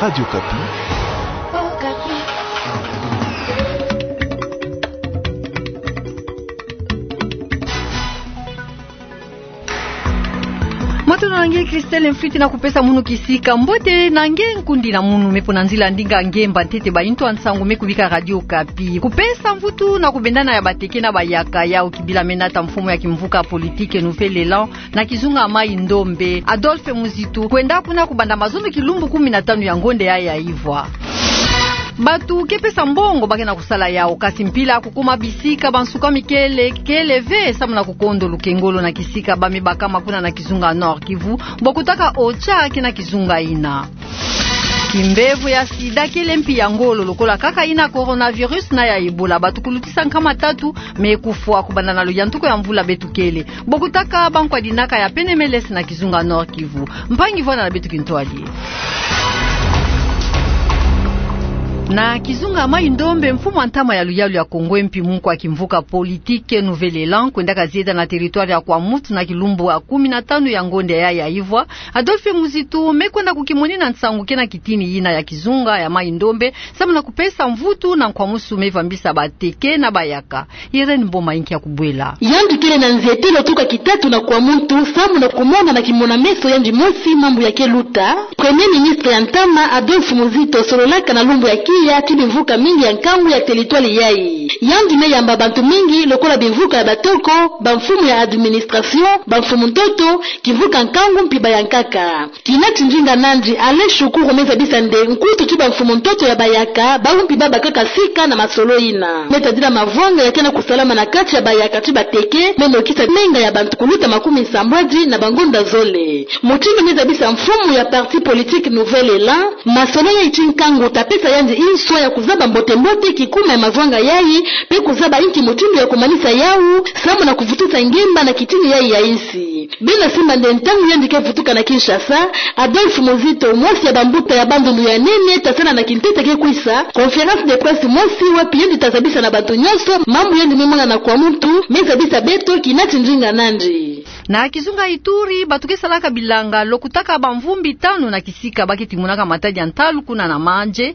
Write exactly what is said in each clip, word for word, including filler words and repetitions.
Radio Okapi. Mbote na nge Christelle Mfwiti na kupesa munu kisika. Mbote na nge nkundi na munu me po na nzila ndinga nge mba ntete ba intu a nsangu me kubika Radio Okapi. Kupesa mvutu na kubendana ya bateke na bayaka yau kibila me nata mfumu ya kimvuka politique Nouvel Elan na kizunga Mai-Ndombe, Adolphe Muzitu, kwenda kuna kubanda mazono kilumbu kumi na tanu ya ngonde yayi ya ivwa. Bantu ke pesa mbongo ba ke na kusala yau, kasi mpila kukuma bisika ba nsuka mikele kele ve samu na kukondo lukengolo na kisika ba me bakama kuna na kizunga Nord-Kivu, bo kutaka OCHA kina kizunga yina. Kimbevo ya sida kele mpi ya ngolo lokola kaka yina coronavirus na ya Ebola. Bantu kulutisa nkama tatu me kufwa kubanda na luyantuku ya mvula beto kele. Bo kutaka ba nkwa dinaka ya P N M L S na kizunga Nord-Kivu. Mpangi vwanda na beto kintwadi. Na kizunga Mai-Ndombe, mfumu a ntama ya luyalu ya Kongo, mpi munkwa kimvuka politique Nouvel Elan, kwendaka zieda na territoire ya Kwamouth na kilumbu ya kumi na tanu ya ngonde yayi ya ivwa, Adolphe Muzitu me kwenda kukimonina nsangu kena kitini yina ya kizunga ya Mai-Ndombe, samu na kupesa mvutu na nkwamusu me vambisa bateke na bayaka. Irène Mboma inki ya kubwela. Yandi kele na nzietelo tuka kitatu na Kwamouth samu na kumona na kimona-meso yandi mosi mambu ya ke luta. Premier ministre ya ntama, Adolphe Muzitu, sololaka na lumbu ya kiya ti bimvuka mingi ya nkangu ya territoire yayi. Yandi me yamba bantu mingi lokola bimvuka ya batoko, ba mfumu ya administration, ba mfumu ntoto, kimvuka nkangu mpi bayankaka. Kina ti ndinga nandi, Alain Shukuru, me zabisa nde nkutu ti ba mfumu ntoto ya bayaka, bau mpi ba bakaka sika na masolo yina. Me tadila mavwanga ya ke na kusalama na kati ya bayaka ti bateke, me mokisa menga ya bantu kuluta makumi sambwadi na bangonda zole. Mutindu me zabisa mfumu ya parti politique Nouvel Elan, masolo yayi ti nkangu ta pesa yandi inswa ya kuzaba mbote-mbote kikuma ya mavwanga yayi, pe kuzaba inki mutindu ya kumanisa yau, samu na kuvutusa ngemba na kitini yayi ya insi. Bena simba nde ntangu yandi ke vutuka na Kinshasa, Adolphe Muzitu, mosi ya bambuta ya Bandundu ya nene, ta sala na kintete ke kwisa conférence de presse mosi wapi yandi ta zabisa na bantu nyonso mambu yandi me mona na Kwamouth, me zabisa beto kina ti ndinga nandi. Na kizunga Ituri, bantu ke salaka bilanga, lokutaka bamvumbi tanu na kisika ba ke timunaka matadi ya ntalu kuna na Mandjé,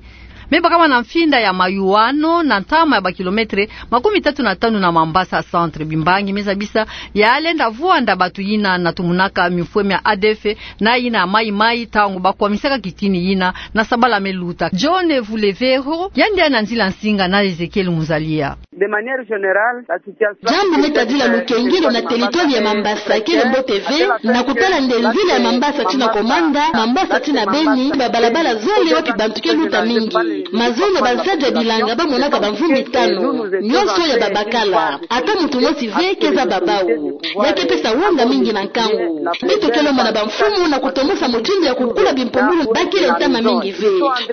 me bakama na mfinda ya Mayuano, na ntama ya ba kilomètre makumi tatu na tanu na Mambasa centre. Bimbangi me zabisa ya lenda vwanda bantu yina na tumunaka mifwe mia A D F na yina Maï-Maï, ntangu ba kwamisaka kitini yina na sabala me luta. John Vuleveho, yandi na nzila nsinga na Ezekiel Muzalia. De manière générale, la situation... Jambu me tadila lukengelo na territoire ya Mambasa kele mbote ve, na kutala nde nzila ya Mambasa tii na Komanda, Mambasa tii na Beni, babalabala zole wapi bantu ke luta mingi. Mazono bansadi ya bilanga ba monaka bamvumbi tanu, nyonso ya babakala. Ata muntu mosi ve ke zaba bau. Ya ke pesa wonga mingi na nkangu. Beto ke lomba na bamfumu na kutomosa mutindu ya kukula bimpumbulu ba kele ntama mingi ve.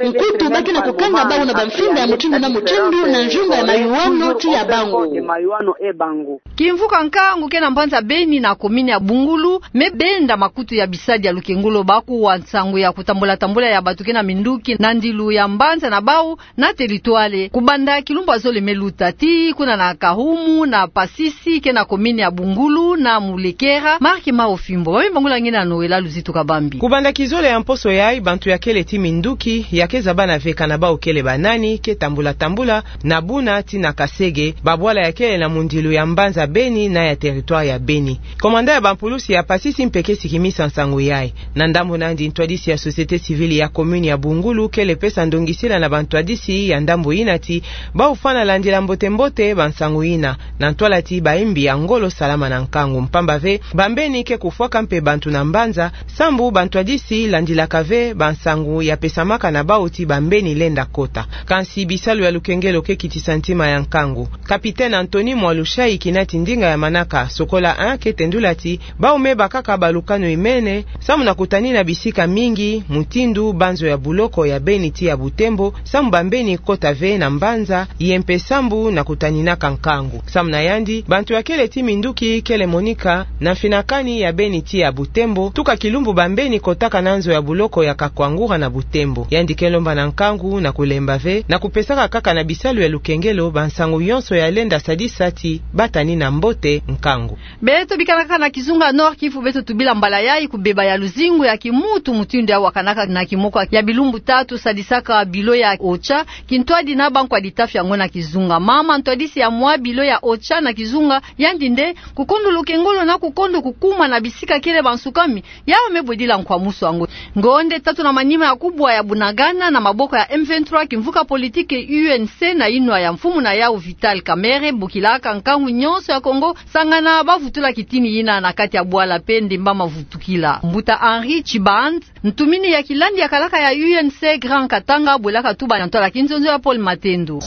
Nkutu ba ke na kukanga bau na bamfinda ya mutindu na mutindu na nzunga ya Mayuano tii ya Bangu. Kimvuka nkangu ke na mbanza Beni na commune ya Bungulu, me benda makutu ya bisadi ya lukengolo ba kuwa nsangu ya kutambula-tambula ya bantu ke na minduki na ndilu ya mbanza na bau, na territoire, kubanda kilumbu ya zole me luta, tii kuna na Kahumu, na Pasisi, ke na commune ya Bungulu, na Mulekera. Marc Maofimbo, ba me bangula ngina na Noëlla Luzitu Kabambi. Kubanda kizole ya mposo yayi, bantu ya kele tii minduki, ya ke zaba na veka na bau kele banani, ke tambula-tambula na Buna tii na Kasege, babwala ya kele na mundilu ya mbanza Beni na ya territoire ya Beni. Commandant ya bampulusi ya Pasisi mpe ke sikimisa nsangu yayi. Na ndambu nandi, ntwadisi ya société civile ya commune ya Bungulu kele pesa ndongisila na bantwadisi ya ndambu yina ti bau fwana landila mbote-mbote bansangu yina, na ntwala ti bayimbi ya ngolo salama na nkangu, mpamba ve bambeni ke kufwaka mpe bantu na mbanza, sambu bantwadisi landilaka ve bansangu ya pesamaka na bau ti bambeni lenda kota. Kansi bisalu ya lukengelo ke kitisa ntima ya nkangu. Capitaine Anthony Mwalushayi, kina ti ndinga ya manaka Sokola un, ke tendula ti bau me bakaka balukanu imene, samu na kutanina bisika mingi, mutindu banzo ya buloko ya Beni tii ya Butembo, samu bambeni kota ve na mbanza, ye mpe sambu na kutaninaka nkangu. Samu na yandi, bantu ya kele ti minduki kele monika na mfinakani ya beni ti ya Butembo, tuka kilumbu bambeni kotaka na nzo ya buloko ya Kakwangura na Butembo. Yandi ke lomba na nkangu na kulemba ve, na kupesaka kaka na bisalu ya lukengelo bansangu yonso ya lenda sadisa ti batanina mbote nkangu. Beto bikanaka na kizunga Nord-Kivu, beto tubila mbala yayi kubeba ya luzingu ya kimuntu mutindu ya wakanaka na kimoko ya bilumbu tatu, sadisaka bilo ya OCHA, kintwadi na bankwa ditafi yango na kizunga. Mama ntwadisi ya mwa bilo ya OCHA na kizunga, yandi nde kukondo lukengolo na kukondo kukuma na bisika kele bansukami, yawu me bwedila nkwamusu yango. Ngonde tatu na manima ya kubwa ya Bunagana na maboko ya M vingt-trois, kimvuka politiki U N C na inwa ya mfumu na yawu Vital Kamerhe bokilaka nkangu nyonso ya Kongo sangana bavutula kitini yina na kati ya bwala pe ndemba mavutukila. Mbuta Henri Chiband, ntumini ya kilandi ya kalaka ya U N C Grand Katanga, bwelaka tuba na ntwala kinzonzo ya Paul Matendo.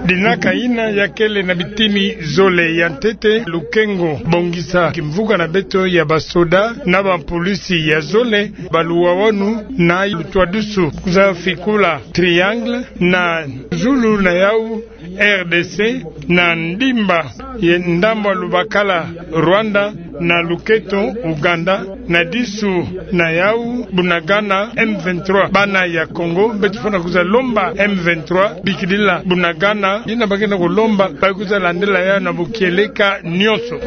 Dinaka yina ya kele na bitini zole. Ya ntete, lukengo, bongisa kimvuka na beto ya basoda na bapolisi ya zole, baluwawanu na lutwadusu za fikula triangle na zulu na yawu R D C, na ndimba ye ndambu ya lubakala Rwanda, na luketo Uganda, na disu na yawu Bunagana. M vingt-trois, bana ya Kongo, beto fwana kwiza lomba M vingt-trois bikidila Bunagana, yina ba kena kulomba, ba kwiza landila yawu na bukieleka nyonso.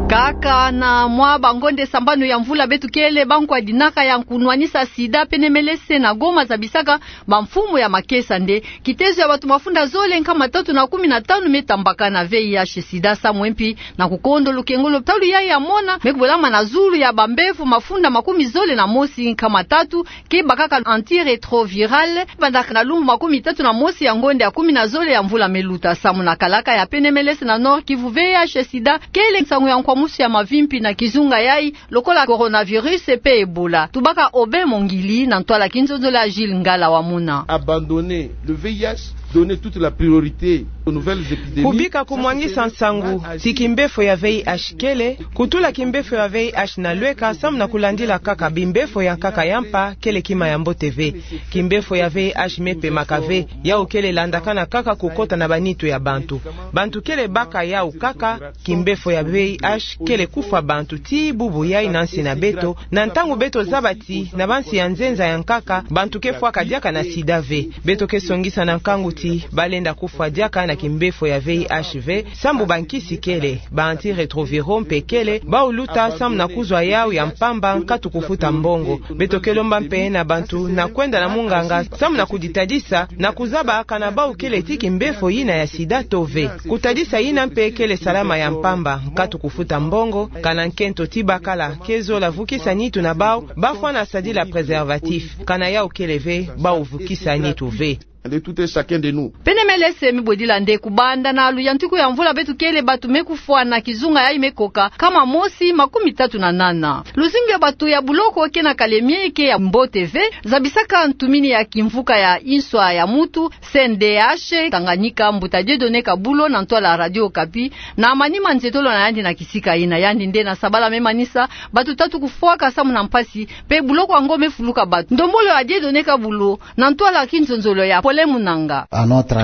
Kaka na mwa bangonde sambanu ya mvula beto kele, bankwa dinaka ya kunwanisa sida pene melese na Goma zabisaka bamfumu ya makesa nde kitezo ya bato mafunda zole nkama tatu na kumi na tanu me tambakana V I H sida samu mpi na kukondo lukengolo. Talu yayi ya mona me kubwelama na zulu ya bambevo mafunda makumi zole na mosi nkama tatu ke bakaka antirétroviral, bandaka na lumbu makumi tatu na mosi ya ngonde ya kumi na zole ya mvula me luta. Samu na kalaka ya pene melese na Nord-Kivu, V I H sida kele nsangu ya nkwamusu ya mavimpi na kizunga yayi, lokola coronavirus pe Ebola. Tubaka Aubin Mongili na ntwala kinzonzo la Gilles Ngala wa Muna. Abandonner le V I H, donner toute la priorité aux nouvelles épidémies. Kubika kumwangisa nsangu ti kimbefo ya V I H kele, kutula kimbefo ya V I H na lweka, samu na kulandila kaka bimbefo ya nkaka ya mpa, kele kima ya mbote ve. Kimbefo ya V I H me pemaka ve, yawu kele landakana kaka kukota na banitu ya bantu. Bantu kele baka yawu kaka, kimbefo ya V I H kele kufwa bantu ti bubu yayi na nsi na beto, na ntangu beto zaba ti na bansi ya nzenza ya nkaka, bantu ke fwaka diaka na sida ve. Beto ke songisa na nkangu ti balenda kufwa diaka na kimbefo ya V I H ve, samu bankisi kele, ba antirétroviraux mpe kele, bawu luta samu na kuzwa yawu ya mpamba nkatu kufuta mbongo. Beto ke lomba mpe na bantu na kwenda na munganga samu na kuditadisa, na kuzaba kana bawu kele ti kimbefo yina ya sida to ve. Kutadisa yina mpe kele salama ya mpamba, nkatu kufuta mbongo, kana nkento ti bakala ke zola vukisa nitu na bawu, bafwana sadila préservatif, kana yawu kele ve, bawu vukisa nitu ve. De tout un chacun de nous. Pene melese mi bwedila nde kubanda na luyantiku ya mvula beto kele, bato me kufwa na kizunga yayi me koka nkama mosi makumi tatu na nana. Luzingu ya bato ya buloko ke na kalemie ke ya mbote ve, zabisaka ntumini ya kimvuka ya inswa ya mutu, C N D H Tanganyika, mbuta Dieudonné Kabulo na ntwala Radio Okapi, na manima nzietolo na yandi na kisika yina. Yandi nde na sabala me manisa bato tatu kufwaka samu na mpasi, mpe buloko yango me fuluka bato. Ndombolo ya Dieudonné Kabulo na ntwala kinzonzolo ya Pole Munanga.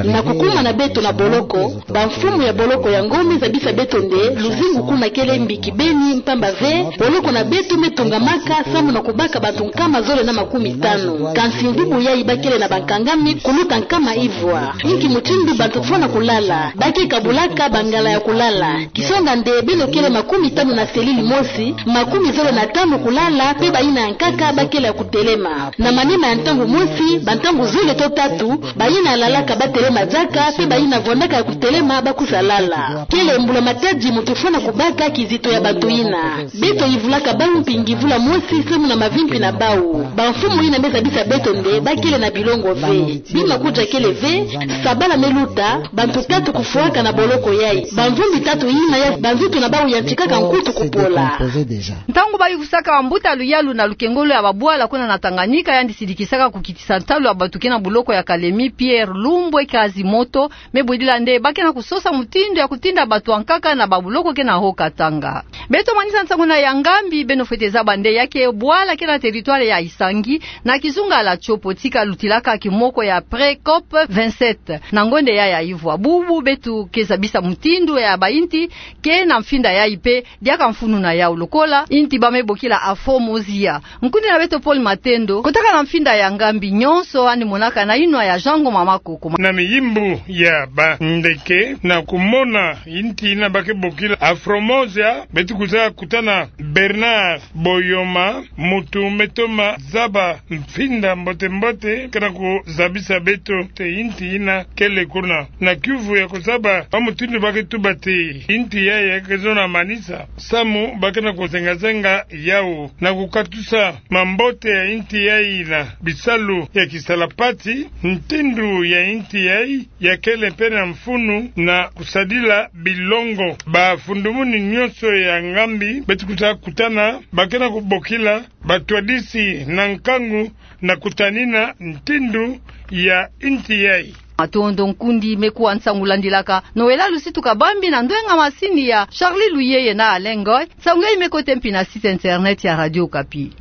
Na kukuma na beto na boloko, bamfumu ya boloko yango me zabisa beto nde luzingu kuna kele mbi kibeni, mpamba ve boloko na beto me tongamaka samu na kubaka bato nkama zole na makumi tanu. Kansi mvubu yayi ba kele na bankangami kuluta nkama ivwa. Inki mutindu bato fwana kulala? Ba ke kabulaka bangala ya kulala. Kisonga nde beno kele makumi tanu na selile mosi, makumi zole na tanu kulala, mpe bayina ya nkaka ba kele ya kutelema. Na manima ya ntangu mosi, bantangu zole to tatu, bayina ya lalaka ba telema diaka, mpe bayina vwandaka ya kutelema ba kwiza lala. Kele mbula matadi mutu fwana kubaka kizito ya bato yina. Beto yivulaka bawu mpingi vula mosi samu na mavimpi na bawu. Bamfumu yina me zabisa beto nde ba kele na bilongo ve. Bima kudia kele ve, sabala me luta, bantu tatu kufwaka na boloko yayi. Bamvumbi tatu yina ya banzutu na bawu yantikaka nkutu kupola. Ntangu ba yukusaka bambuta luyalu na lukengolo ya babwala kuna na Tanganyika, yandi sidikisaka kukitisa ntalu ya bato ke na boloko ya kale Emi Pierre Lumbwe Kazimoto, me bwidila nde ba ke na kusosa mutindu ya kutinda bato ya nkaka na babuloko ke na ho Katanga. Beto manisa nsangu na ya ngambi, beno fwete zaba nde ya ke bwala ke na territoire ya Isangi, na kizunga la Tshopo, tika lutilaka kimoko ya pré-COP vingt-sept. Na ngonde ya ya ivwa bubu, beto ke zabisa mutindu ya bainti ke na mfinda yayi pe, diaka mfunu na yau lokola inti ba me bokila Afro-Mozia. Nkundi na beto Paul Matendo, kotaka na mfinda ya ngambi nyonso, yandi monaka na inwa ya Jean Ngoma Makoko. Na miyimbu ya bandeke, na kumona inti ina ba ke bokila Afro-Mozia, beto kwiza kutana Bernard Boyoma, muntu me toma zaba mfinda mbote-mbote, ke na kuzabisa beto te inti ina kele kuna na kiuvu ya kuzaba ba mutindu ba ke tuba te inti yayi ke zona manisa, samu ba ke na kuzenga-zenga yau na kukatusa mambote ya inti yayi na bisalu ya kisalapati, ntindu ya inti yayi ya kele pe na mfunu na kusadila bilongo. Bafundumuni nyonso ya ngambi beto kwiza kutana, ba ke na kubokila batwadisi na nkangu na kutanina ntindu ya inti yayi. Matondo nkundi, me kuwa nsangu landilaka Noëlla Lusitu Kabambi na ndwenga masini ya Charlie Luyeye na Alain Ngoy. Nsangu yayi me kotê mpi na site internet ya Radio Okapi.